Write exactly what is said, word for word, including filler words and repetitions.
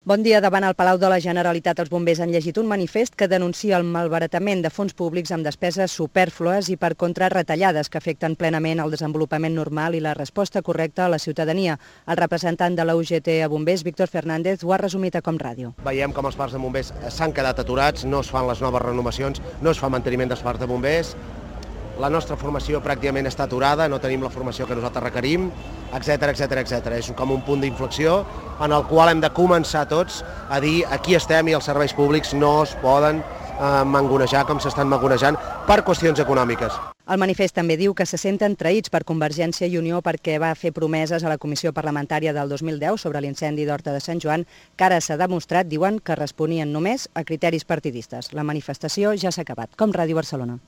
Bon dia. Davant el Palau de la Generalitat, els bombers han llegit un manifest que denuncia el malbaratament de fons públics amb despeses supèrflues i per contra retallades que afecten plenament el desenvolupament normal i la resposta correcta a la ciutadania. El representant de la U G T a bombers, Víctor Fernández, ho ha resumit a Com Ràdio. Veiem com els parcs de bombers s'han quedat aturats, no es fan les noves renovacions, no es fa manteniment dels parcs de bombers, la nostra formació pràcticament està aturada, no tenim la formació que nosaltres requerim, etcètera, etcètera, etcètera. És com un punt d'inflexió en el qual hem de començar tots a dir aquí estem i els serveis públics no es poden eh, mangonejar com s'estan mangonejant per qüestions econòmiques. El manifest també diu que se senten traïts per Convergència i Unió perquè va fer promeses a la Comissió Parlamentària del dos mil deu sobre l'incendi d'Horta de Sant Joan, que ara s'ha demostrat, diuen, que responien només a criteris partidistes. La manifestació ja s'ha acabat. Com Ràdio Barcelona.